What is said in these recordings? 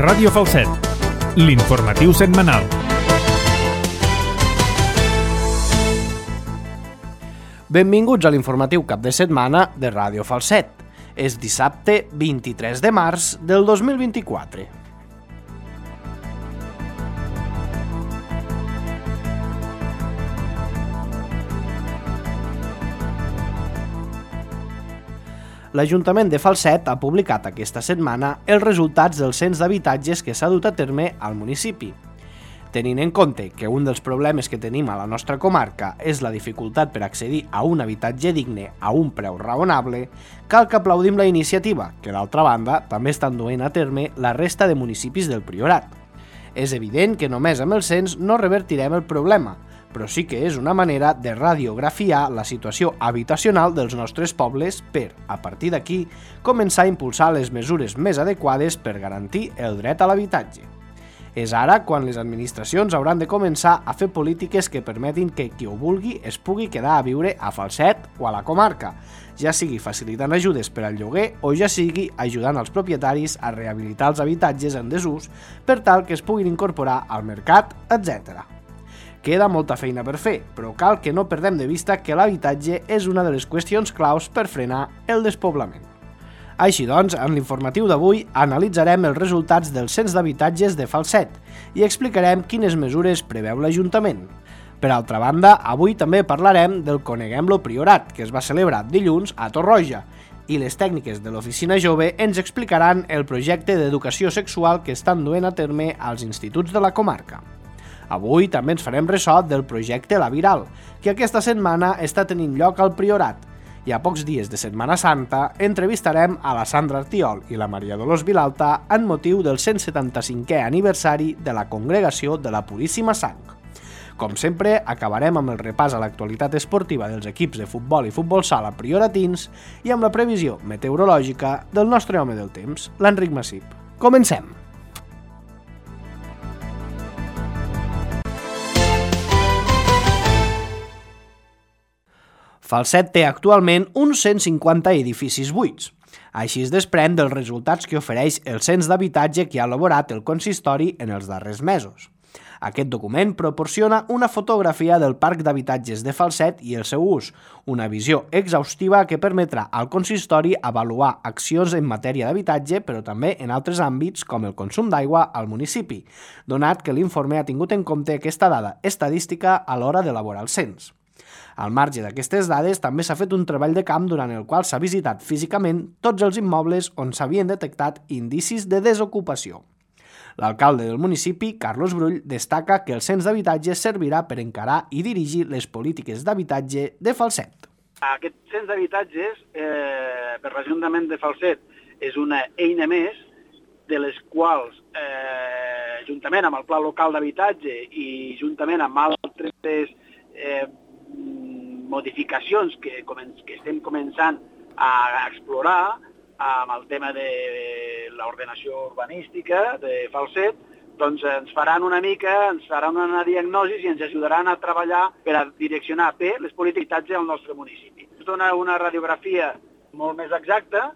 Ràdio Falset, l'informatiu setmanal. Benvinguts a l'informatiu cap de setmana de Ràdio Falset. És dissabte 23 de març del 2024. L'Ajuntament de Falset ha publicat aquesta setmana els resultats del cens d'habitatges que s'ha dut a terme al municipi. Tenint en compte que un dels problemes que tenim a la nostra comarca és la dificultat per accedir a un habitatge digne a un preu raonable, cal que aplaudim la iniciativa, que d'altra banda també estan duent a terme la resta de municipis del Priorat. És evident que només amb el cens no revertirem el problema, però sí que és una manera de radiografiar la situació habitacional dels nostres pobles per, a partir d'aquí, començar a impulsar les mesures més adequades per garantir el dret a l'habitatge. És ara quan les administracions hauran de començar a fer polítiques que permetin que qui ho vulgui es pugui quedar a viure a Falset o a la comarca, ja sigui facilitant ajudes per al lloguer o ja sigui ajudant als propietaris a rehabilitar els habitatges en desús per tal que es puguin incorporar al mercat, etc. Queda molta feina per fer, però cal que no perdem de vista que l'habitatge és una de les qüestions claus per frenar el despoblament. Així doncs, en l'informatiu d'avui analitzarem els resultats del cens d'habitatges de Falset i explicarem quines mesures preveu l'Ajuntament. Per altra banda, avui també parlarem del Coneguem-lo Priorat, que es va celebrar dilluns a Torroja, i les tècniques de l'Oficina Jove ens explicaran el projecte d'educació sexual que estan duent a terme als instituts de la comarca. Avui també ens farem ressò del projecte La Viral, que aquesta setmana està tenint lloc al Priorat, i a pocs dies de Setmana Santa entrevistarem a la Sandra Artiol i la Maria Dolors Vilalta en motiu del 175è aniversari de la Congregació de la Puríssima Sang. Com sempre, acabarem amb el repàs a l'actualitat esportiva dels equips de futbol i futbol sala prioratins i amb la previsió meteorològica del nostre home del temps, l'Enric Massip. Comencem! Falset té actualment uns 150 edificis buits. Així es desprèn dels resultats que ofereix el cens d'habitatge que ha elaborat el consistori en els darrers mesos. Aquest document proporciona una fotografia del parc d'habitatges de Falset i el seu ús, una visió exhaustiva que permetrà al consistori avaluar accions en matèria d'habitatge, però també en altres àmbits com el consum d'aigua al municipi, donat que l'informe ha tingut en compte aquesta dada estadística a l'hora d'elaborar el cens. Al marge d'aquestes dades, també s'ha fet un treball de camp durant el qual s'ha visitat físicament tots els immobles on s'havien detectat indicis de desocupació. L'alcalde del municipi, Carlos Brull, destaca que el cens d'habitatge servirà per encarar i dirigir les polítiques d'habitatge de Falset. Aquest cens d'habitatges per l'Ajuntament de Falset és una eina més de les quals, juntament amb el Pla Local d'Habitatge i juntament amb altres modificacions que estem començant a explorar amb el tema de l'ordenació urbanística de Falset, doncs ens faran una diagnosi i ens ajudaran a treballar per a direccionar bé les polítiques d'habitatge al nostre municipi. Ens dona una radiografia molt més exacta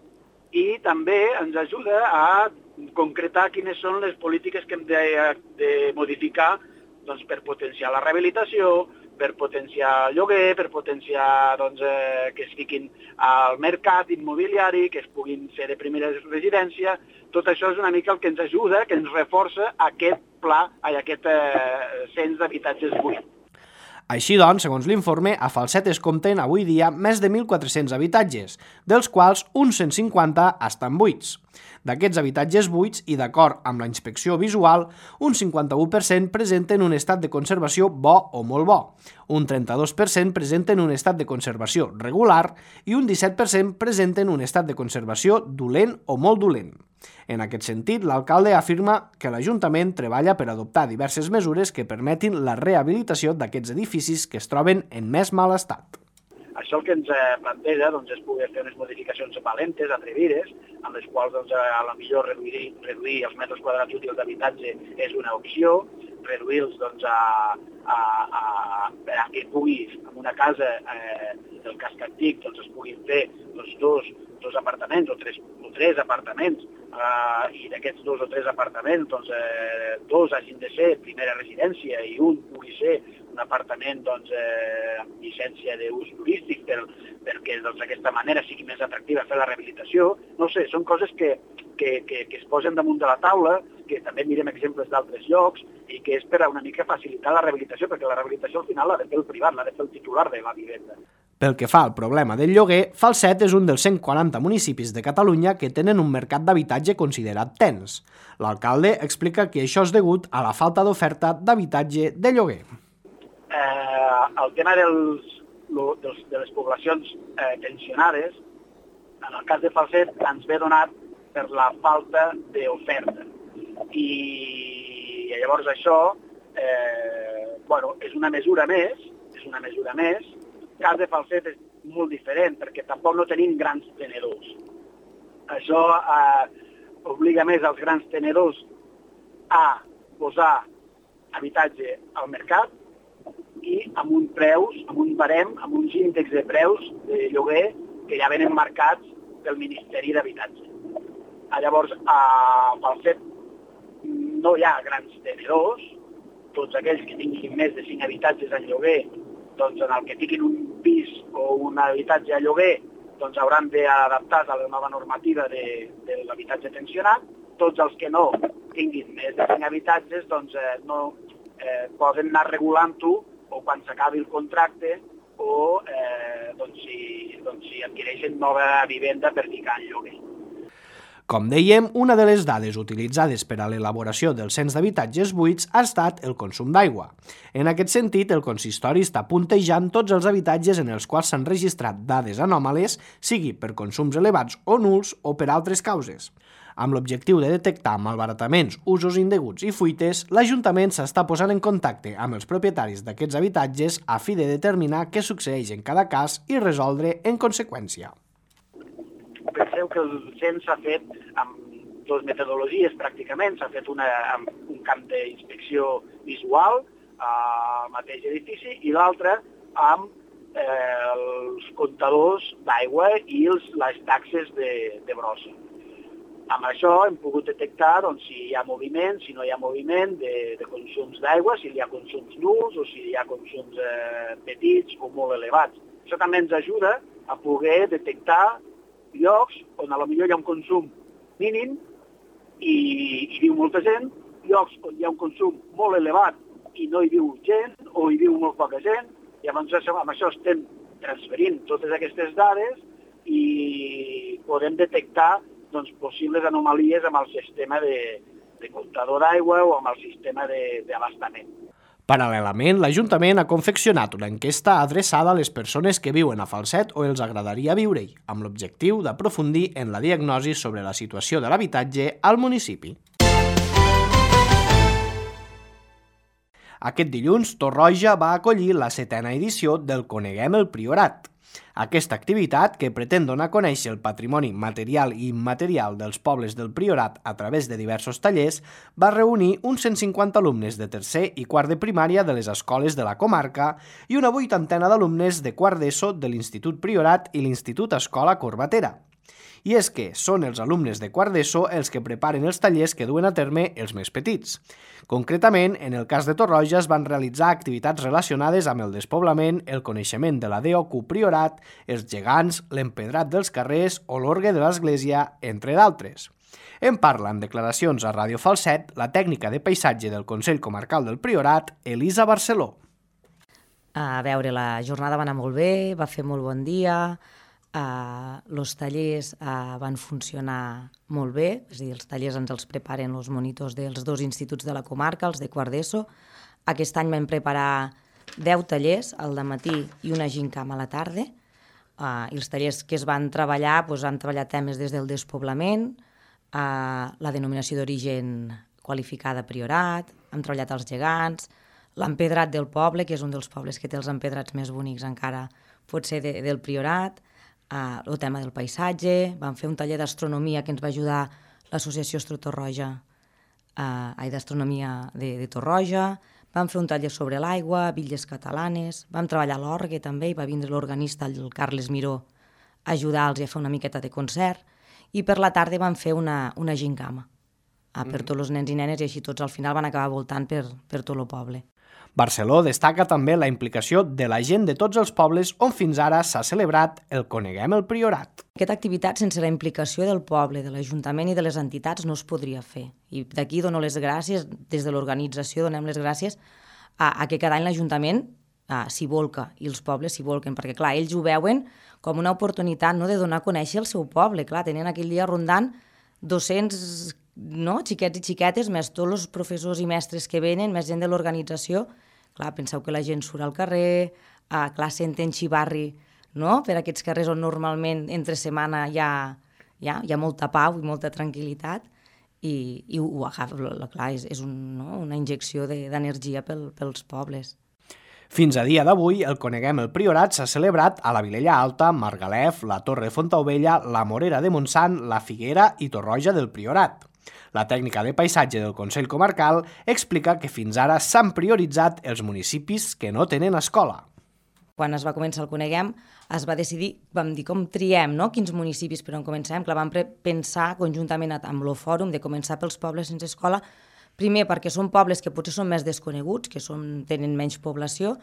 i també ens ajuda a concretar quines són les polítiques que hem de modificar doncs, per potenciar la rehabilitació, per potenciar el lloguer, per potenciar que es fiquin al mercat immobiliari, que es puguin fer de primera residència. Tot això és una mica el que ens ajuda, que ens reforça aquest pla, aquest cens d'habitatges buits. Així doncs, segons l'informe, a Falset es compten avui dia més de 1.400 habitatges, dels quals uns 150 estan buits. D'aquests habitatges buits i d'acord amb la inspecció visual, un 51% presenten un estat de conservació bo o molt bo, un 32% presenten un estat de conservació regular i un 17% presenten un estat de conservació dolent o molt dolent. En aquest sentit, l'alcalde afirma que l'Ajuntament treballa per adoptar diverses mesures que permetin la rehabilitació d'aquests edificis que es troben en més mal estat. Això el que ens planteja és poder fer unes modificacions valentes, atrevides, amb les quals a la millor reduir els metres quadrats útils d'habitatge és una opció, reduir-los que puguis, en una casa del casc antic, es puguin fer 2 2 apartaments o 3 apartaments, i d'aquests 2 o 3 apartaments, doncs, 2 hagin de ser primera residència i un pugui ser un apartament doncs, amb llicència d'ús turístic perquè d'aquesta manera sigui més atractiva fer la rehabilitació. No sé, són coses que es posen damunt de la taula, que també mirem exemples d'altres llocs i que és per una mica facilitar la rehabilitació, perquè la rehabilitació al final l'ha de fer el privat, l'ha de fer el titular de la vivenda. Pel que fa al problema del lloguer, Falset és un dels 140 municipis de Catalunya que tenen un mercat d'habitatge considerat tens. L'alcalde explica que això és degut a la falta d'oferta d'habitatge de lloguer. El tema de les poblacions tensionades, en el cas de Falset, ens ve donat per la falta d'oferta. I llavors això és una mesura més. El cas de Falset és molt diferent perquè tampoc no tenim grans tenedors. Això obliga més als grans tenedors a posar habitatge al mercat i amb un barem, amb uns índexs de preus de lloguer que ja venen marcats pel Ministeri d'Habitatge. Llavors, a Falset no hi ha grans tenedors, tots aquells que tinguin més de 5 habitatges en lloguer, doncs en el que tinguin un pis o un habitatge a lloguer, doncs hauran d'adaptar a la nova normativa de l'habitatge tensionat. Tots els que no tinguin més de 5 habitatges, doncs no poden anar regulant-ho o quan s'acabi el contracte o si adquireixen nova vivenda per ficar en lloguer. Com dèiem, una de les dades utilitzades per a l'elaboració del cens d'habitatges buits ha estat el consum d'aigua. En aquest sentit, el consistori està puntejant tots els habitatges en els quals s'han registrat dades anòmales, sigui per consums elevats o nuls o per altres causes. Amb l'objectiu de detectar malbarataments, usos indeguts i fuites, l'Ajuntament s'està posant en contacte amb els propietaris d'aquests habitatges a fi de determinar què succeeix en cada cas i resoldre en conseqüència. Penseu que el cens s'ha fet amb 2 metodologies pràcticament. S'ha fet un camp d'inspecció visual al mateix edifici i l'altre amb els comptadors d'aigua i les taxes de brossa. Amb això hem pogut detectar si hi ha moviment, si no hi ha moviment de consums d'aigua, si hi ha consums nuls o si hi ha consums petits o molt elevats. Això també ens ajuda a poder detectar llocs on potser hi ha un consum mínim i hi viu molta gent, llocs on hi ha un consum molt elevat i no hi viu gent o hi viu molt poca gent, i amb això estem transferint totes aquestes dades i podem detectar possibles anomalies amb el sistema de comptador d'aigua o amb el sistema d'abastament. Paral·lelament, l'Ajuntament ha confeccionat una enquesta adreçada a les persones que viuen a Falset o els agradaria viure-hi, amb l'objectiu d'aprofundir en la diagnosi sobre la situació de l'habitatge al municipi. Aquest dilluns, Torroja va acollir la 7a edició del Coneguem el Priorat. Aquesta activitat, que pretén donar a conèixer el patrimoni material i immaterial dels pobles del Priorat a través de diversos tallers, va reunir uns 150 alumnes de tercer i quart de primària de les escoles de la comarca i una 80 d'alumnes de quart d'ESO de l'Institut Priorat i l'Institut Escola Corbatera. I és que són els alumnes de quart d'ESO els que preparen els tallers que duen a terme els més petits. Concretament, en el cas de Torroja es van realitzar activitats relacionades amb el despoblament, el coneixement de la DOQ Priorat, els gegants, l'empedrat dels carrers o l'orgue de l'església, entre d'altres. En parla en declaracions a Ràdio Falset la tècnica de paisatge del Consell Comarcal del Priorat, Elisa Barceló. A veure, la jornada va anar molt bé, va fer molt bon dia, els tallers van funcionar molt bé, és a dir, els tallers ens els preparen els monitors dels 2 instituts de la comarca, els de quart d'ESO. Aquest any vam preparar 10 tallers, al dematí i una gincama a la tarda, i els tallers que es van treballar, han treballat temes des del despoblament, la denominació d'origen qualificada Priorat, hem treballat els gegants, l'empedrat del poble, que és un dels pobles que té els empedrats més bonics encara, pot ser del Priorat, el tema del paisatge, vam fer un taller d'astronomia que ens va ajudar l'associació Torroja, d'astronomia de Torroja, vam fer un taller sobre l'aigua, bitlles catalanes, vam treballar l'orgue també, i va vindre l'organista, el Carles Miró, ajudar-los a fer una miqueta de concert, i per la tarda van fer una gincama per tots els nens i nenes, i així tots al final van acabar voltant per tot el poble. Barceló destaca també la implicació de la gent de tots els pobles on fins ara s'ha celebrat el Coneguem el Priorat. Aquesta activitat, sense la implicació del poble, de l'Ajuntament i de les entitats, no es podria fer. I d'aquí dono les gràcies, des de l'organització donem les gràcies a que cada any l'Ajuntament s'hi volca i els pobles s'hi volquen, perquè clar, ells ho veuen com una oportunitat de donar a conèixer el seu poble. Clar, tenien aquell dia rondant 200 xiquets i xiquetes, més tots els professors i mestres que venen, més gent de l'organització. Clar, penseu que la gent surt al carrer, clar, senten xivarri per aquests carrers on normalment entre setmana hi ha molta pau i molta tranquil·litat, i ho agafa, clar, és una injecció d'energia pels pobles. Fins a dia d'avui, el Coneguem el Priorat s'ha celebrat a la Vilella Alta, Margalef, la Torre de Fontaubella, la Morera de Montsant, la Figuera i Torroja del Priorat. La tècnica de paisatge del Consell Comarcal explica que fins ara s'han prioritzat els municipis que no tenen escola. Quan es va començar el Coneguem, es va decidir, vam dir com triem, quins municipis per on comencem. Clar, vam pensar conjuntament amb el fòrum de començar pels pobles sense escola, primer perquè són pobles que potser són més desconeguts, que tenen menys població,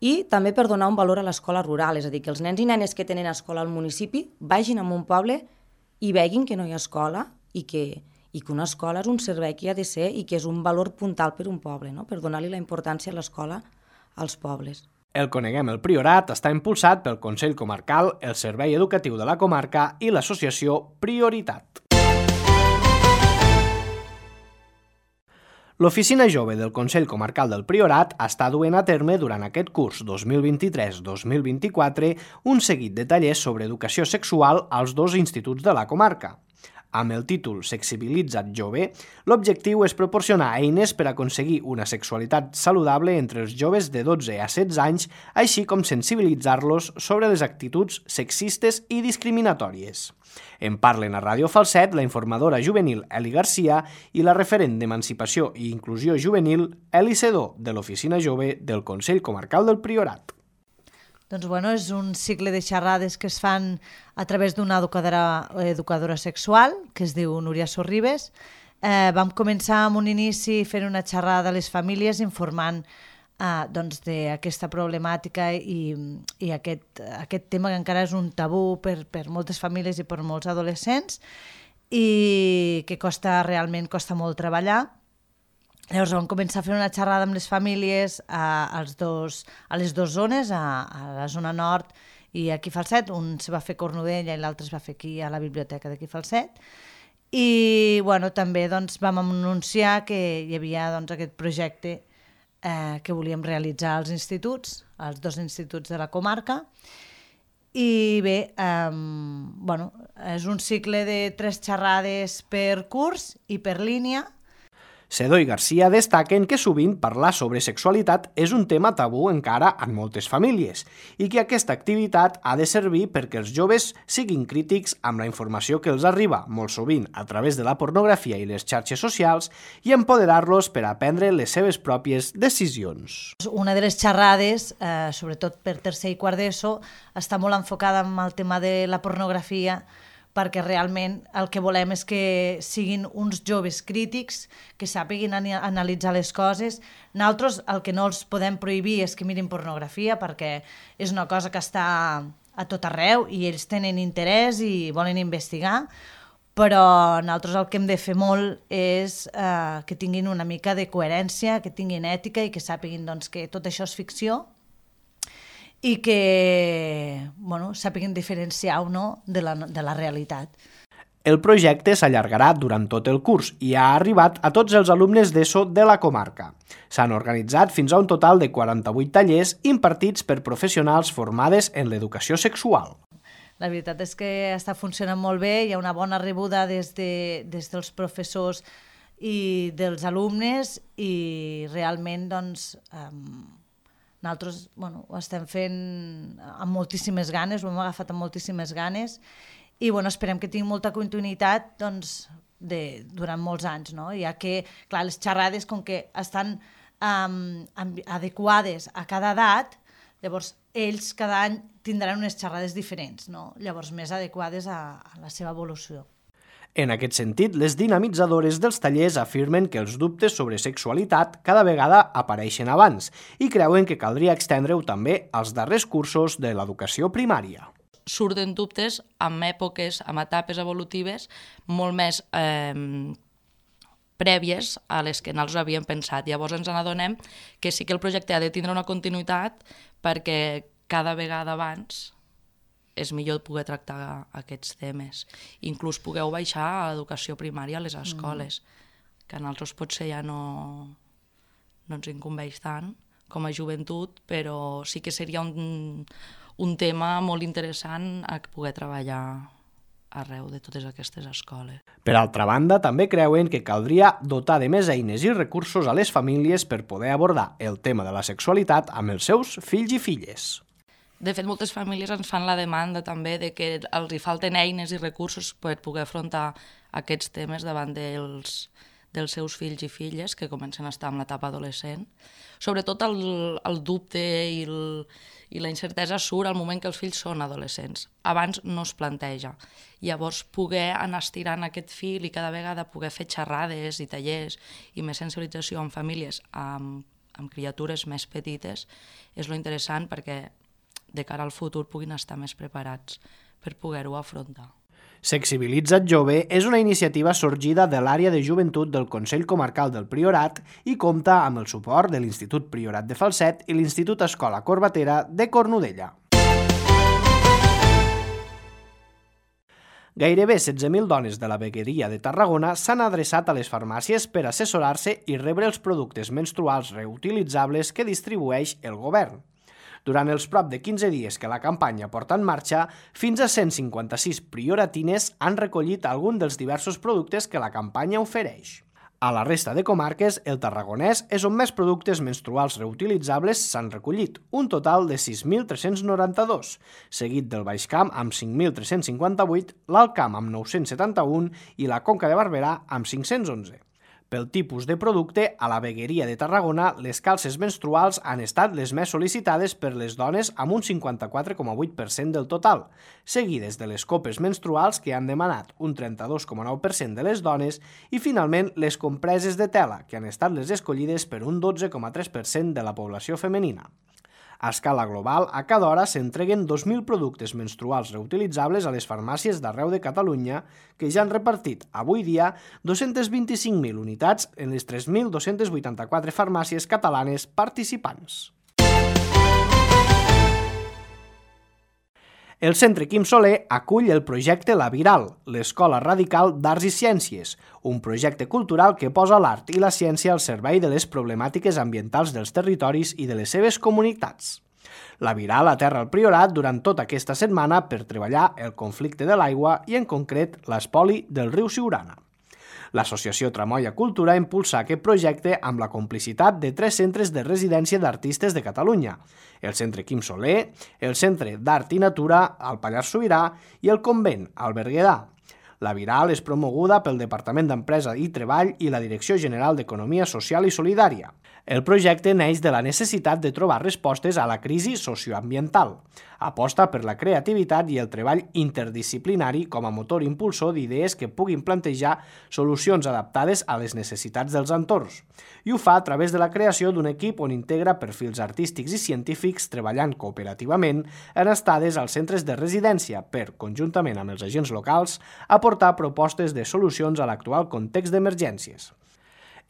i també per donar un valor a l'escola rural, és a dir, que els nens i nenes que tenen escola al municipi vagin a un poble i veguin que no hi ha escola i que una escola és un servei que ha de ser i que és un valor puntal per un poble, per donar-li la importància a l'escola als pobles. El Coneguem el Priorat està impulsat pel Consell Comarcal, el Servei Educatiu de la Comarca i l'associació Prioritat. L'Oficina Jove del Consell Comarcal del Priorat està duent a terme durant aquest curs 2023-2024 un seguit de tallers sobre educació sexual als 2 instituts de la comarca. Amb el títol Sexibilitza't Jove, l'objectiu és proporcionar eines per aconseguir una sexualitat saludable entre els joves de 12 a 16 anys, així com sensibilitzar-los sobre les actituds sexistes i discriminatòries. En parlen a Ràdio Falset la informadora juvenil Eli Garcia i la referent d'Emancipació i Inclusió Juvenil Eli Sedó, de l'Oficina Jove del Consell Comarcal del Priorat. Doncs és un cicle de xerrades que es fan a través d'una educadora sexual, que es diu Núria Sorribes. Vam començar amb un inici fent una xerrada a les famílies informant d'aquesta problemàtica i aquest tema que encara és un tabú per moltes famílies i per molts adolescents i que realment costa molt treballar. Llavors vam començar a fer una xerrada amb les famílies a les dues zones, a la zona nord i aquí a Falset. Un se va fer a Cornudella i l'altre es va fer aquí a la biblioteca d'aquí a Falset. I també vam anunciar que hi havia aquest projecte que volíem realitzar als instituts, als 2 instituts de la comarca. I bé, és un cicle de 3 xerrades per curs i per línia. Sedó i Garcia destaquen que sovint parlar sobre sexualitat és un tema tabú encara en moltes famílies i que aquesta activitat ha de servir perquè els joves siguin crítics amb la informació que els arriba, molt sovint a través de la pornografia i les xarxes socials, i empoderar-los per a prendre les seves pròpies decisions. Una de les xerrades, sobretot per tercer i quart d'ESO, està molt enfocada en el tema de la pornografia, perquè realment el que volem és que siguin uns joves crítics, que sàpiguin analitzar les coses. Nosaltres el que no els podem prohibir és que mirin pornografia, perquè és una cosa que està a tot arreu i ells tenen interès i volen investigar, però nosaltres el que hem de fer molt és que tinguin una mica de coherència, que tinguin ètica i que sàpiguin que tot això és ficció i que sàpiguen diferenciar o no de la realitat. El projecte s'allargarà durant tot el curs i ha arribat a tots els alumnes d'ESO de la comarca. S'han organitzat fins a un total de 48 tallers impartits per professionals formades en l'educació sexual. La veritat és que està funcionant molt bé, hi ha una bona rebuda des dels professors i dels alumnes i realment nosaltres ho estem fent amb moltíssimes ganes, ho hem agafat amb moltíssimes ganes i esperem que tingui molta continuïtat durant molts anys, ja que clar, les xerrades com que estan adequades a cada edat, llavors ells cada any tindran unes xerrades diferents, no? Llavors més adequades a la seva evolució. En aquest sentit, les dinamitzadores dels tallers afirmen que els dubtes sobre sexualitat cada vegada apareixen abans i creuen que caldria extendre-ho també als darrers cursos de l'educació primària. Surten dubtes amb èpoques, amb etapes evolutives molt més prèvies a les que nosaltres havíem pensat. Llavors ens n'adonem que sí que el projecte ha de tindre una continuïtat perquè cada vegada abans és millor poder tractar aquests temes. Inclús pugueu baixar a l'educació primària a les escoles, que a nosaltres potser ja no ens incumbeix tant com a joventut, però sí que seria un tema molt interessant a poder treballar arreu de totes aquestes escoles. Per altra banda, també creuen que caldria dotar de més eines i recursos a les famílies per poder abordar el tema de la sexualitat amb els seus fills i filles. De fet, moltes famílies ens fan la demanda també de que els hi falten eines i recursos per poder afrontar aquests temes davant dels seus fills i filles que comencen a estar en l'etapa adolescent. Sobretot el dubte i la incertesa surt al moment que els fills són adolescents. Abans no es planteja. Llavors, poder anar estirant aquest fil i cada vegada poder fer xerrades i tallers i més sensibilització amb famílies amb criatures més petites és lo interessant perquè de cara al futur puguin estar més preparats per poder-ho afrontar. Sexibilitza't Jove és una iniciativa sorgida de l'àrea de joventut del Consell Comarcal del Priorat i compta amb el suport de l'Institut Priorat de Falset i l'Institut Escola Corbatera de Cornudella. Gairebé 16.000 dones de la vegueria de Tarragona s'han adreçat a les farmàcies per assessorar-se i rebre els productes menstruals reutilitzables que distribueix el govern. Durant els prop de 15 dies que la campanya porta en marxa, fins a 156 prioratines han recollit algun dels diversos productes que la campanya ofereix. A la resta de comarques, el Tarragonès és on més productes menstruals reutilitzables s'han recollit, un total de 6.392, seguit del Baix Camp amb 5.358, l'Alt Camp amb 971 i la Conca de Barberà amb 511. Pel tipus de producte, a la vegueria de Tarragona, les calces menstruals han estat les més sol·licitades per les dones amb un 54,8% del total, seguides de les copes menstruals que han demanat un 32,9% de les dones i finalment les compreses de tela, que han estat les escollides per un 12,3% de la població femenina. A escala global, a cada hora s'entreguen 2.000 productes menstruals reutilitzables a les farmàcies d'arreu de Catalunya, que ja han repartit, avui dia, 225.000 unitats en les 3.284 farmàcies catalanes participants. El Centre Quim Soler acull el projecte La Viral, l'Escola Radical d'Arts i Ciències, un projecte cultural que posa l'art i la ciència al servei de les problemàtiques ambientals dels territoris i de les seves comunitats. La Viral aterra al Priorat durant tota aquesta setmana per treballar el conflicte de l'aigua i, en concret, l'espoli del riu Siurana. L'Associació Tramoia Cultura impulsa aquest projecte amb la complicitat de 3 centres de residència d'artistes de Catalunya, el Centre Quim Soler, el Centre d'Art i Natura, al Pallars Sobirà i el Convent, al Berguedà. La Viral és promoguda pel Departament d'Empresa i Treball i la Direcció General d'Economia Social i Solidària. El projecte neix de la necessitat de trobar respostes a la crisi socioambiental. Aposta per la creativitat i el treball interdisciplinari com a motor impulsor d'idees que puguin plantejar solucions adaptades a les necessitats dels entorns. I ho fa a través de la creació d'un equip on integra perfils artístics i científics treballant cooperativament en estades als centres de residència per, conjuntament amb els agents locals, aportar propostes de solucions a l'actual context d'emergències.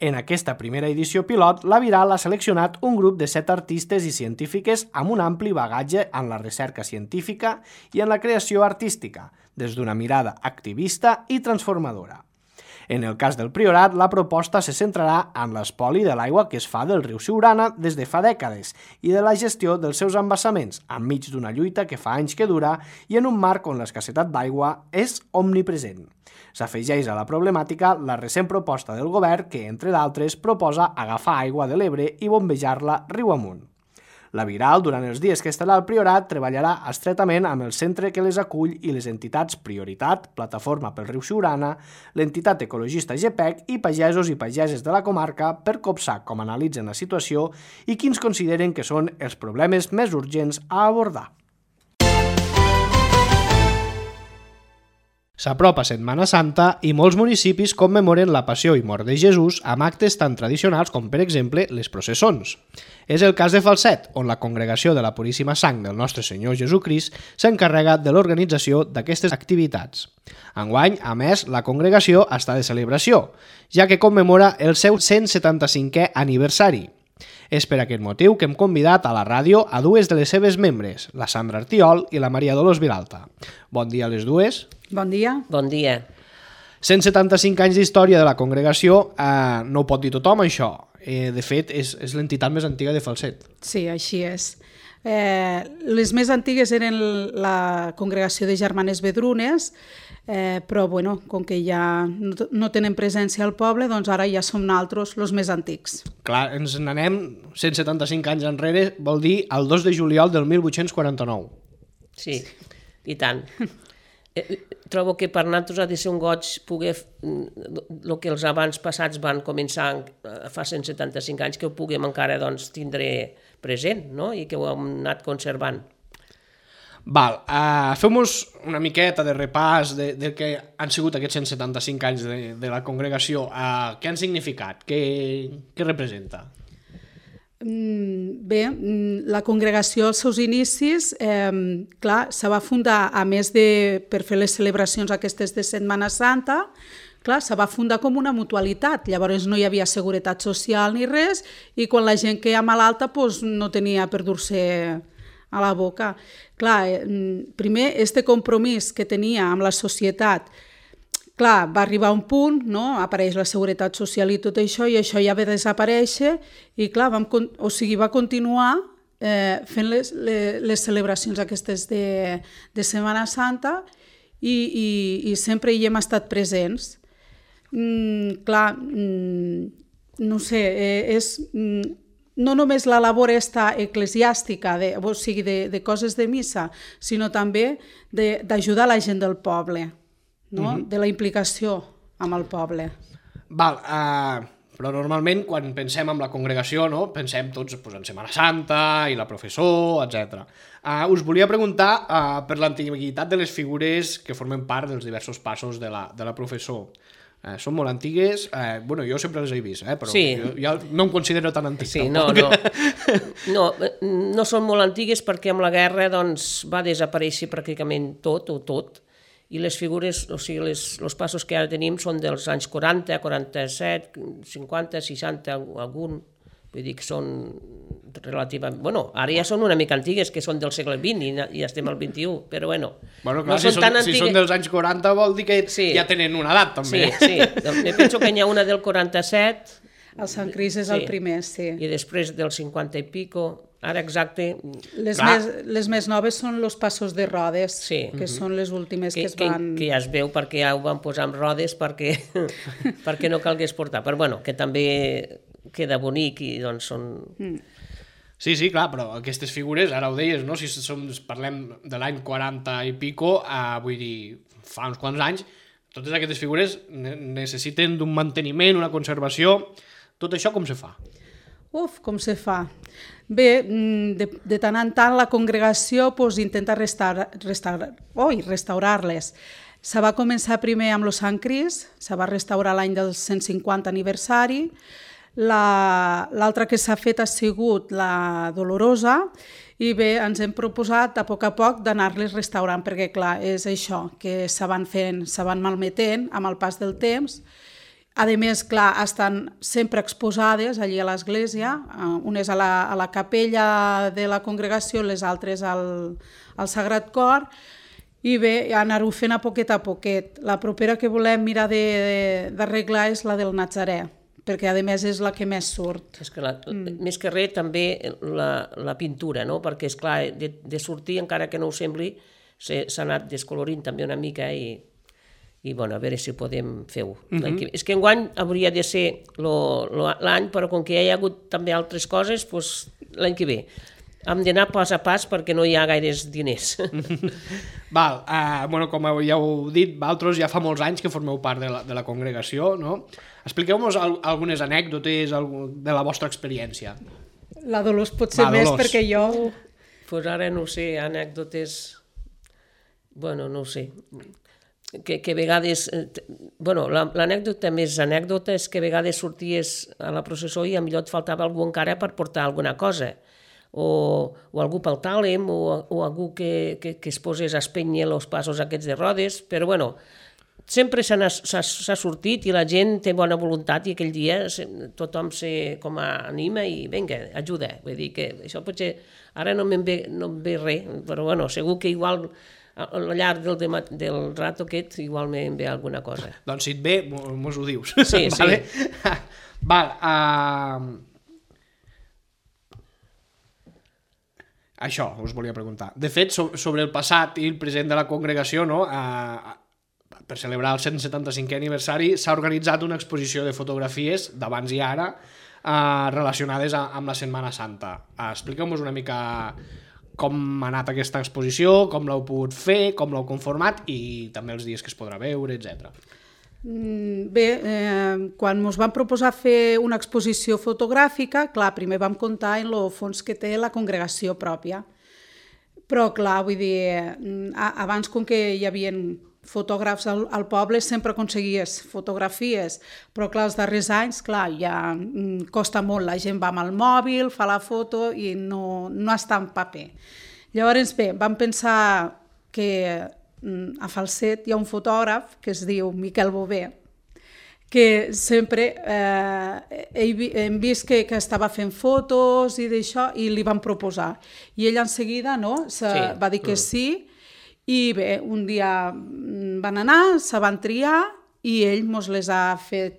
En aquesta primera edició pilot, la Viral ha seleccionat un grup de 7 artistes i científiques amb un ampli bagatge en la recerca científica i en la creació artística, des d'una mirada activista i transformadora. En el cas del Priorat, la proposta se centrarà en l'espoli de l'aigua que es fa del riu Siurana des de fa dècades i de la gestió dels seus embassaments, enmig d'una lluita que fa anys que dura i en un marc on l'escassetat d'aigua és omnipresent. S'afegeix a la problemàtica la recent proposta del govern que, entre d'altres, proposa agafar aigua de l'Ebre i bombejar-la riu amunt. La Viral, durant els dies que estarà al Priorat, treballarà estretament amb el centre que les acull i les entitats Prioritat, Plataforma pel Riu Siurana, l'entitat ecologista GPEC i pagesos i pageses de la comarca per copsar com analitzen la situació i quins consideren que són els problemes més urgents a abordar. S'apropa Setmana Santa i molts municipis commemoren la Passió i Mort de Jesús amb actes tan tradicionals com, per exemple, les processons. És el cas de Falset, on la Congregació de la Puríssima Sang del Nostre Senyor Jesucrist s'encarrega de l'organització d'aquestes activitats. Enguany, a més, la congregació està de celebració, ja que commemora el seu 175è aniversari. És per aquest motiu que hem convidat a la ràdio a dues de les seves membres, la Sandra Artiol i la Maria Dolors Vilalta. Bon dia a les dues. Bon dia. Bon dia. 175 anys d'història de la congregació, no ho pot dir tothom, això. De fet, és l'entitat més antiga de Falset. Sí, així és. Les més antigues eren la congregació de Germanes Vedrunes, però bueno, com que ja no tenen presència al poble, doncs ara ja som nosaltres els més antics. Clar, ens n'anem 175 anys enrere, vol dir el 2 de juliol del 1849. Sí, i tant. Trobo que per nosaltres ha de ser un goig poder el que els abans passats van començar fa 175 anys, que ho puguem encara tindre present, no? I que ho hem anat conservant. Val, feu-nos una miqueta de repàs de què han sigut aquests 175 anys de la congregació. Què han significat? Què representa? Bé, la congregació als seus inicis, clar, se va fundar, a més per fer les celebracions aquestes de Setmana Santa, clar, se va fundar com una mutualitat, llavors no hi havia seguretat social ni res, i quan la gent queia malalta doncs no tenia per dur-se a la boca. Clar, primer, este compromís que tenia amb la societat, clar, va arribar a un punt, no? Apareix la seguretat social i tot això, i això ja va desaparèixer, i clar, va continuar fent les celebracions aquestes de Setmana Santa i sempre hi hem estat presents. Clar, no sé, és no només la labor eclesiàstica, o sigui, de coses de missa, sinó també d'ajudar la gent del poble, no? De la implicació amb el poble. Val, però normalment quan pensem en la congregació, no? Pensem tots en Setmana Santa i la professó, etc. Us volia preguntar per l'antiguitat de les figures que formen part dels diversos passos de la professó. Són molt antigues, bueno, jo sempre les he vist, però sí. Jo no em considero tan antic. Sí, no són molt antigues perquè amb la guerra va desaparèixer pràcticament tot, i les figures, o sigui, els passos que ara tenim són dels anys 40, 47, 50, 60, algun, vull dir que són relativament... Bueno, ara ja són una mica antigues, que són del segle XX i ja estem al XXI, però bueno, clar, no són tan antigues. Si són dels anys 40 vol dir que ja tenen una edat, també. Sí, me penso que n'hi ha una del 47... El Sant Cris és el primer, sí. I després del 50 i pico, ara exacte... Les més noves són els passos de rodes, que són les últimes que es van... Que ja es veu perquè ja ho van posar amb rodes perquè no calgués portar, però bueno, que també queda bonic i doncs són... Sí, clar, però aquestes figures, ara ho deies, no? Si parlem de l'any 40 i pico, vull dir, fa uns quants anys, totes aquestes figures necessiten d'un manteniment, una conservació. Tot això com se fa? Com se fa? Bé, de tant en tant la congregació intenta restaurar-les. Se va començar primer amb el Sant Cris, se va restaurar l'any del 150 aniversari. L'altra que s'ha fet ha sigut la Dolorosa, i bé, ens hem proposat a poc d'anar-les restaurant, perquè clar, és això, que se van malmetent amb el pas del temps. A més, clar, estan sempre exposades allí a l'església, unes a la capella de la congregació, les altres al Sagrat Cor, i bé, anar-ho fent a poquet. La propera que volem mirar d'arreglar és la del Nazarè, perquè a més és la que més surt. És que més que res també la pintura, no? Perquè és clar, de sortir, encara que no ho sembli, s'ha anat descolorint també una mica i bueno, a veure si podem fer-ho. És que enguany hauria de ser l'any, però com que hi ha hagut també altres coses, l'any que ve. Hem d'anar pas a pas perquè no hi ha gaires diners. Val, com ja heu dit, vosaltres ja fa molts anys que formeu part de la congregació, no? Expliqueu-nos algunes anècdotes de la vostra experiència. La Dolors pot ser més perquè jo... Pues ara no sé, anècdotes... Bueno, no ho sé. Que a vegades... l'anècdota més anècdota és que a vegades sorties a la processó i millor et faltava algú encara per portar alguna cosa. O algú pel tàlem, o algú que es posés a espènyer els passos aquests de rodes, però bueno, sempre s'ha sortit i la gent té bona voluntat i aquell dia tothom com anima i vinga, ajuda. Vull dir que això potser ara no em ve res, però bueno, segur que igual al llarg del rato aquest igual em ve alguna cosa. Doncs si et ve, mos ho dius. Sí, vale? sí. Val, això us volia preguntar. De fet, sobre el passat i el present de la congregació, no? Per celebrar el 175è aniversari s'ha organitzat una exposició de fotografies d'abans i ara relacionades amb la Setmana Santa. Expliqueu-nos una mica com ha anat aquesta exposició, com l'heu pogut fer, com l'heu conformat i també els dies que es podrà veure, etc. Bé, quan ens van proposar fer una exposició fotogràfica, clar, primer vam comptar en el fons que té la congregació pròpia. Però, clar, vull dir, abans com que hi havia fotògrafs al poble sempre aconseguies fotografies, però clar, els darrers anys, clar, ja costa molt, la gent va amb el mòbil, fa la foto i no està en paper. Llavors, bé, vam pensar que a Falset hi ha un fotògraf que es diu Miquel Bové, que sempre hem vist que estava fent fotos i d'això i li van proposar. I ell en seguida va dir que sí i bé, un dia van anar, se van triar i ell ens les ha fet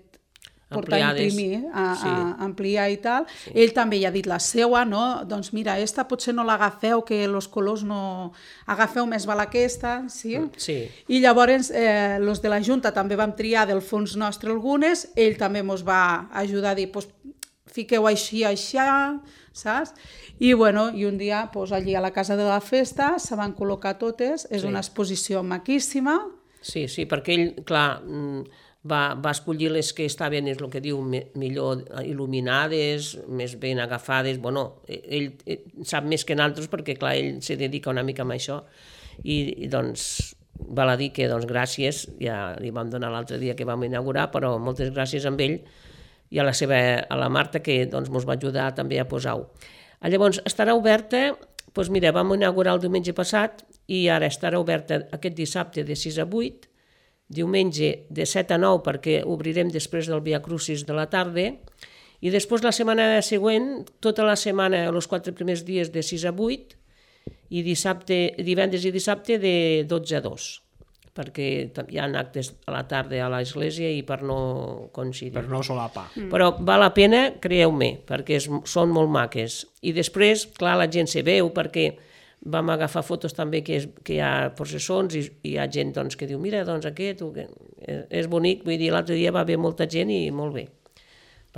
portar a imprimir, a ampliar i tal. Sí. Ell també hi ha dit la seua, no? Doncs mira, esta potser no l'agafeu, que els colors no... Agafeu més val aquesta, sí? Sí. I llavors, els de la Junta també vam triar del fons nostre algunes, ell també ens va ajudar a dir, pues, fiqueu així, saps? I bueno, i un dia, pues, allí a la Casa de la Festa, se van col·locar totes, és una exposició maquíssima. Sí, perquè ell, clar, va escollir les que estaven, és el que diu, millor il·luminades, més ben agafades. Bueno, ell sap més que nosaltres perquè, clar, ell se dedica una mica a això i doncs val a dir que gràcies, ja li vam donar l'altre dia que vam inaugurar, però moltes gràcies a ell i a la Marta que ens va ajudar també a posar-ho. Llavors, estarà oberta, doncs mira, vam inaugurar el diumenge passat i ara estarà oberta aquest dissabte de 6 a 8, diumenge de 7 a 9 perquè obrirem després del Via Crucis de la tarda i després la setmana següent, tota la setmana, els 4 primers dies de 6 a 8 i divendres i dissabte de 12 a 2 perquè hi ha actes a la tarda a l'església i per no coincidir. Per no solapar. Però val la pena, creieu-me, perquè són molt maques. I després, clar, la gent se veu perquè vam agafar fotos també que hi ha processons i hi ha gent que diu mira, aquest és bonic, vull dir, l'altre dia va haver molta gent i molt bé.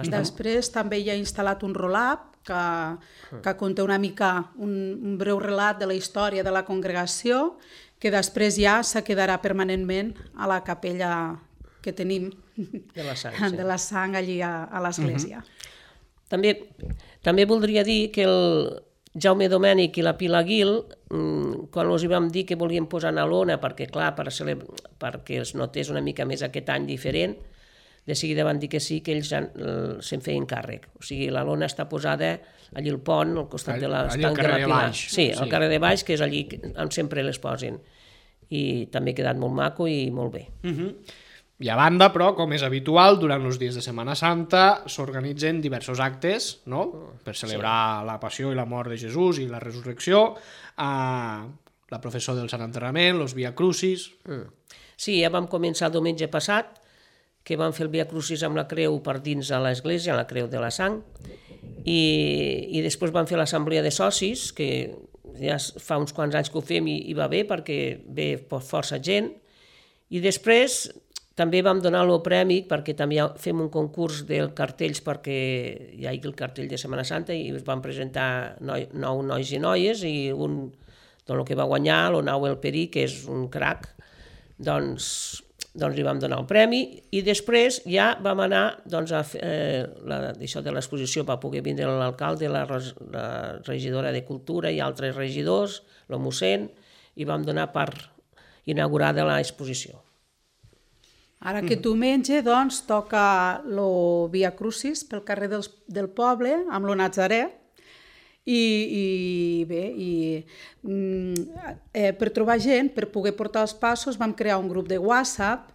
Després també hi ha instal·lat un roll-up que conté una mica un breu relat de la història de la congregació que després ja se quedarà permanentment a la capella que tenim de la sang allí a l'església. També voldria dir que el Jaume Domènech i la Pilar Guil, quan els vam dir que volíem posar una lona perquè, clar, perquè es notés una mica més aquest any diferent, de seguida van dir que sí, que ells se'n feien càrrec. O sigui, la lona està posada allí al pont, al costat de l'estanc de la Pilar. Sí, al carrer de baix, que és allí on sempre les posen. I també ha quedat molt maco i molt bé. I a banda, però, com és habitual, durant els dies de Setmana Santa s'organitzen diversos actes, no?, per celebrar la passió i la mort de Jesús i la resurrecció, la processó del Sant Enterrament, els Via Crucis... Sí, ja vam començar el diumenge passat, que vam fer el Via Crucis amb la creu per dins a l'església, la creu de la sang, i després vam fer l'assemblea de socis, que ja fa uns quants anys que ho fem i va bé, perquè ve força gent, i després també vam donar el premi perquè també fem un concurs de cartells perquè hi ha el cartell de Setmana Santa i es van presentar 9 nois i noies i un el que va guanyar, l'Onau Perí, que és un crac, doncs li vam donar el premi i després ja vam anar a fer això de l'exposició, va poder vindre l'alcalde, la regidora de Cultura i altres regidors, el mossèn, i vam donar per inaugurar l'exposició. Ara aquest diumenge, doncs, toca el Via Crucis pel carrer del poble, amb el Nazaré, i bé, per trobar gent, per poder portar els passos, vam crear un grup de WhatsApp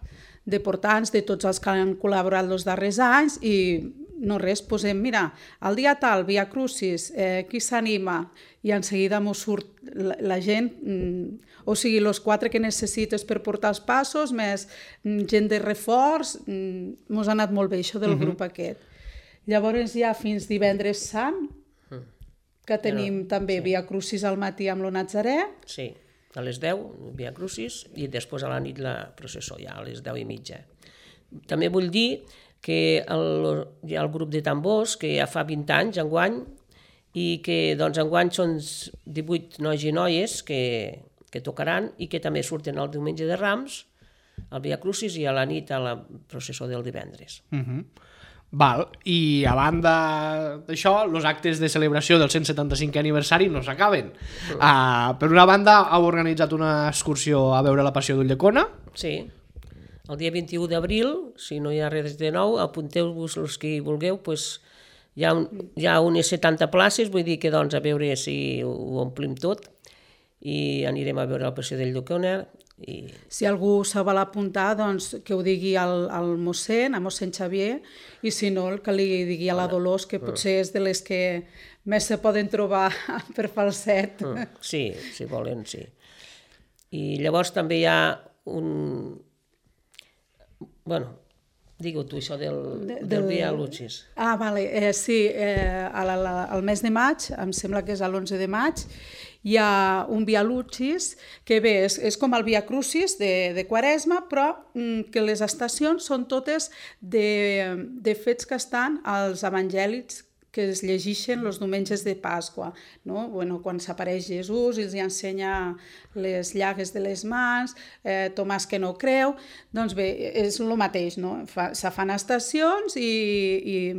de portants de tots els que han col·laborat els darrers anys i no res, posem, mira, el dia tal, Via Crucis, qui s'anima? I en seguida m'ho surt la gent, o sigui, els 4 que necessites per portar els passos, més gent de reforç, mos ha anat molt bé això del grup aquest. Llavors ja fins divendres sant, que tenim també Via Crucis al matí amb el Nazaré. Sí, a les 10, Via Crucis, i després a la nit la processó, ja a les 10:30. També vull dir que hi ha el grup de tambors, que ja fa 20 anys enguany, i que enguany són 18 nois i noies que tocaran i que també surten el diumenge de Rams, al Via Crucis i a la nit a la processó del divendres. Val, i a banda d'això, els actes de celebració del 175è aniversari no s'acaben. Per una banda, heu organitzat una excursió a veure la Passió d'Ulldecona. Sí, el dia 21 d'abril, si no hi ha res de nou, apunteu-vos els que vulgueu, hi ha unes 70 places, vull dir que a veure si ho omplim tot i anirem a veure la Passió d'Ulldecona. Si algú se vol apuntar, doncs que ho digui al mossèn, a mossèn Xavier, i si no, que li digui a la Dolors, que potser és de les que més se poden trobar per Falset. Sí, si volen, sí. I llavors també hi ha un... Bueno, digue-ho tu, això del Via Crucis. Vale, sí, al mes de maig, em sembla que és l'11 de maig, hi ha un Via Crucis que bé, és com el Via Crucis de Quaresma, però que les estacions són totes de fets que estan als evangèlics que es llegeixen els diumenges de Pasqua, no? Bueno, quan s'apareix Jesús i els ensenya les llagues de les mans, Tomàs que no creu, doncs bé, és el mateix, no? Se fan estacions i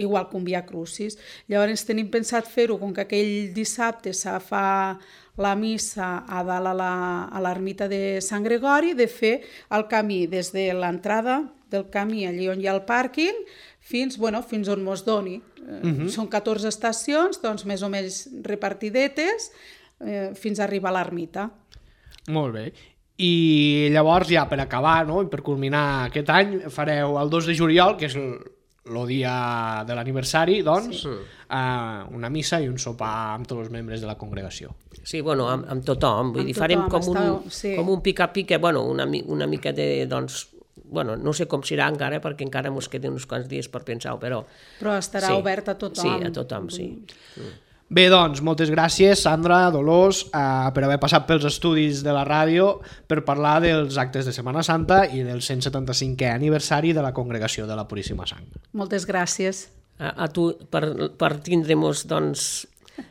igual que un Via Crucis. Llavors tenim pensat fer-ho, com que aquell dissabte se fa la missa a dalt a l'ermita de Sant Gregori, de fer el camí des de l'entrada del camí, allí on hi ha el pàrquing, fins on mos doni. Són 14 estacions, doncs més o menys repartidetes, fins a arribar a l'ermita. Molt bé. I llavors, ja per acabar, no, i per culminar aquest any, fareu el 2 de juliol, que és el dia de l'aniversari, doncs, una missa i un sopar amb tots els membres de la congregació. Sí, bueno, amb tothom. Vull dir, farem com un pica-pica, bueno, una mica de, doncs, bueno, no sé com serà encara, perquè encara ens queden uns quants dies per pensar-ho, però... Però estarà obert a tothom. Sí, a tothom, sí. Bé, doncs, moltes gràcies, Sandra, Dolors, per haver passat pels estudis de la ràdio per parlar dels actes de Setmana Santa i del 175è aniversari de la Congregació de la Puríssima Sang. Moltes gràcies. A tu, per tindre-nos, doncs...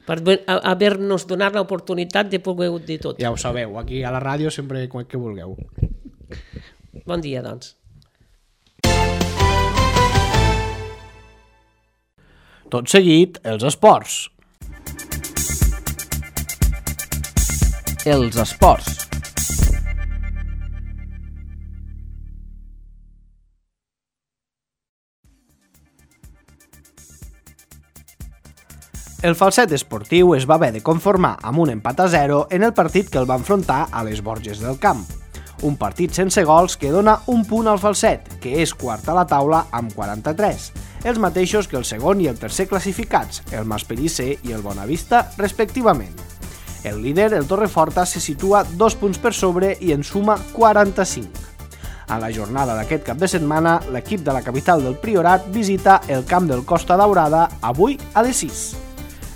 per haver-nos donat l'oportunitat de poder dir tot. Ja ho sabeu, aquí a la ràdio sempre que vulgueu. Bon dia, doncs. Tot seguit, els esports. Els esports. El Falset esportiu es va haver de conformar amb un empat a 0 en el partit que el va enfrontar a les Borges del Camp. Un partit sense gols que dona un punt al Falset, que és quart a la taula amb 43, els mateixos que el segon i el tercer classificats, el Maspellicer i el Bonavista, respectivament. El líder, el Torreforta, se situa 2 punts per sobre i en suma 45. A la jornada d'aquest cap de setmana, l'equip de la capital del Priorat visita el camp del Costa Daurada avui a les 6.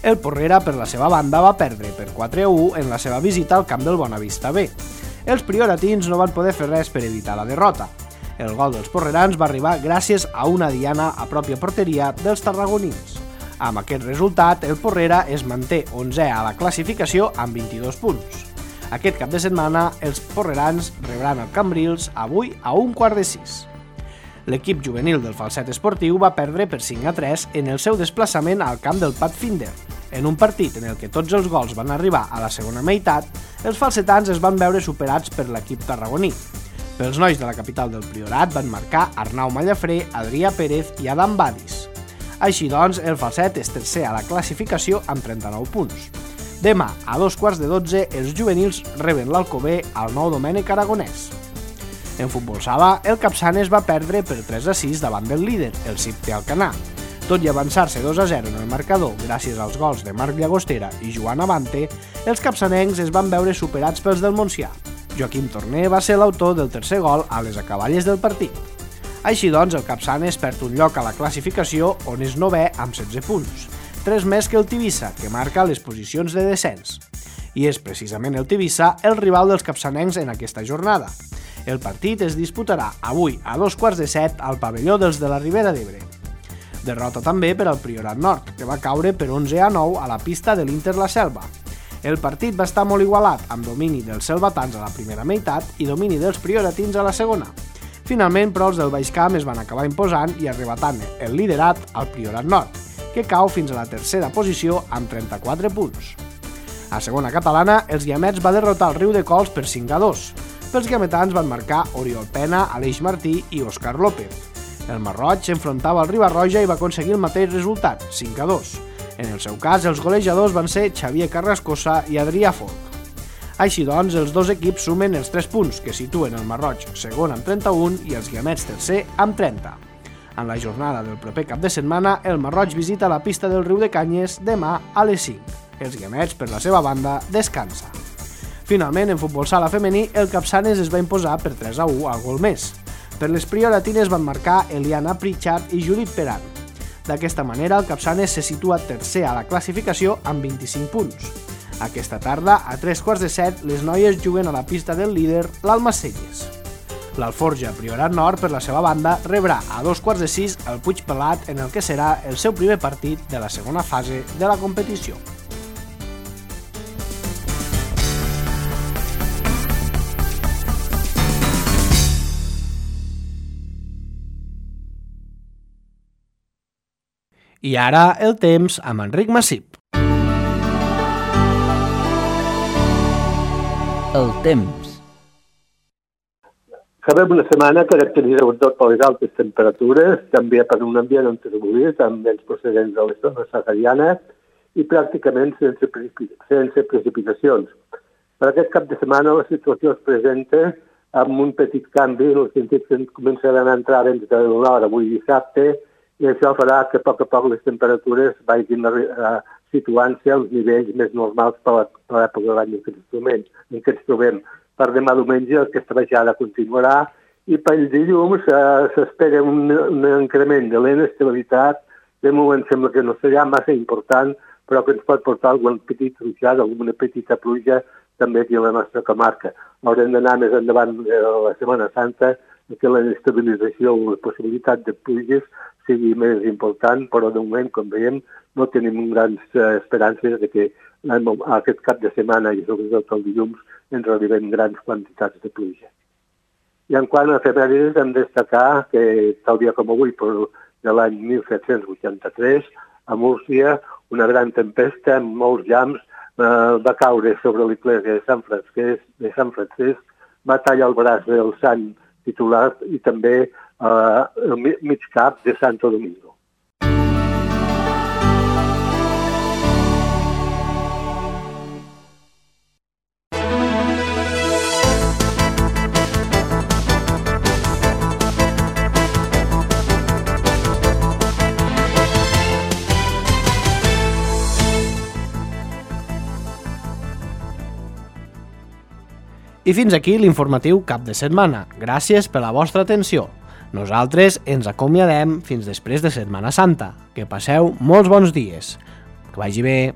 El Porrera, per la seva banda, va perdre per 4-1 en la seva visita al camp del Bonavista B. Els prioratins no van poder fer res per evitar la derrota. El gol dels porrerans va arribar gràcies a una diana a pròpia porteria dels tarragonins. Amb aquest resultat, el Porrera es manté 11è a la classificació amb 22 punts. Aquest cap de setmana, els porrerans rebran el Cambrils avui a 5:45. L'equip juvenil del Falset Esportiu va perdre per 5-3 en el seu desplaçament al camp del Pathfinder. En un partit en el que tots els gols van arribar a la segona meitat, els falsetans es van veure superats per l'equip tarragoní. Pels nois de la capital del Priorat van marcar Arnau Mallafré, Adrià Pérez i Adam Badis. Així doncs, el Falset és tercer a la classificació amb 39 punts. Demà, a 12:15, els juvenils reben l'Alcover al Nou Domènec Aragonès. En futbol sala, el Capçanes va perdre per 3-6 davant del líder, el Cipte Alcanar. Tot i avançar-se 2-0 en el marcador gràcies als gols de Marc Llagostera i Joan Avante, els capçanencs es van veure superats pels del Montsià. Joaquim Torner va ser l'autor del tercer gol a les acaballes del partit. Així doncs, el Capçanes perd un lloc a la classificació on és 9è amb 16 punts, 3 més que el Tivissa, que marca les posicions de descens. I és precisament el Tivissa el rival dels capçanencs en aquesta jornada. El partit es disputarà avui a 2:15 al pavelló dels de la Ribera d'Ebre. Derrota també per al Priorat Nord, que va caure per 11-9 a la pista de l'Inter La Selva. El partit va estar molt igualat, amb domini dels selvatans a la primera meitat i domini dels prioratins a la segona. Finalment, però, els del Baix Camp es van acabar imposant i arrebatant el liderat al Priorat Nord, que cau fins a la tercera posició amb 34 punts. A segona catalana, els guiamets va derrotar el Riu de Cols per 5-2. Pels guiametans van marcar Oriol Pena, Aleix Martí i Òscar López. El Marroig s'enfrontava al Ribarroja i va aconseguir el mateix resultat, 5-2. En el seu cas, els golejadors van ser Xavier Carrascosa i Adrià Folk. Així doncs, els dos equips sumen els 3 punts, que situen el Marroig segon amb 31 i els guiamets tercer amb 30. En la jornada del proper cap de setmana, el Marroig visita la pista del Riu de Canyes demà a les 5. Els guiamets, per la seva banda, descansa. Finalment, en futbol sala femení, el Capçanes es va imposar per 3-1 al gol més. Per les prioratines van marcar Eliana Pritchard i Judit Peran. D'aquesta manera, el Capçanes se situa tercer a la classificació amb 25 punts. Aquesta tarda, a 3:15, les noies juguen a la pista del líder, l'Almacelles. L'Alforja Priorat Nord, per la seva banda, rebrà a 2:15 el Puig Pelat en el que serà el seu primer partit de la segona fase de la competició. I ara el temps amb Enric Massip. El temps. Acabem una setmana caracteritzada per les altes temperatures, també per un ambient enterbolit amb vents procedents de les zones saharianes i pràcticament sense precipitacions. Per aquest cap de setmana la situació es presenta amb un petit canvi en el sentit que començaran a entrar vents del nord avui dissabte i això farà que a poc les temperatures vagin situant-se als nivells més normals per l'època de l'any en què ens trobem. Per demà diumenge aquesta baixada continuarà i pel dilluns s'espera un increment de l'inestabilitat. De moment sembla que no serà massa important, però que ens pot portar algun petit ruixat, alguna petita pluja també aquí a la nostra comarca. Haurem d'anar més endavant de la Setmana Santa que la estabilització o la possibilitat de pluges sigui més important, però de moment, com veiem, no tenim grans esperances de que aquest cap de setmana i sobretot el dilluns ens arriben grans quantitats de pluja. I en quant a efemèrides, hem de destacar que tal dia com avui, de l'any 1783, a Múrcia, una gran tempesta amb molts llamps va caure sobre l'església de Sant Francesc, va tallar el braç del sant titular i també el mig cap de Santo Domingo. I fins aquí l'informatiu cap de setmana. Gràcies per la vostra atenció. Nosaltres ens acomiadem fins després de Setmana Santa. Que passeu molts bons dies. Que vagi bé.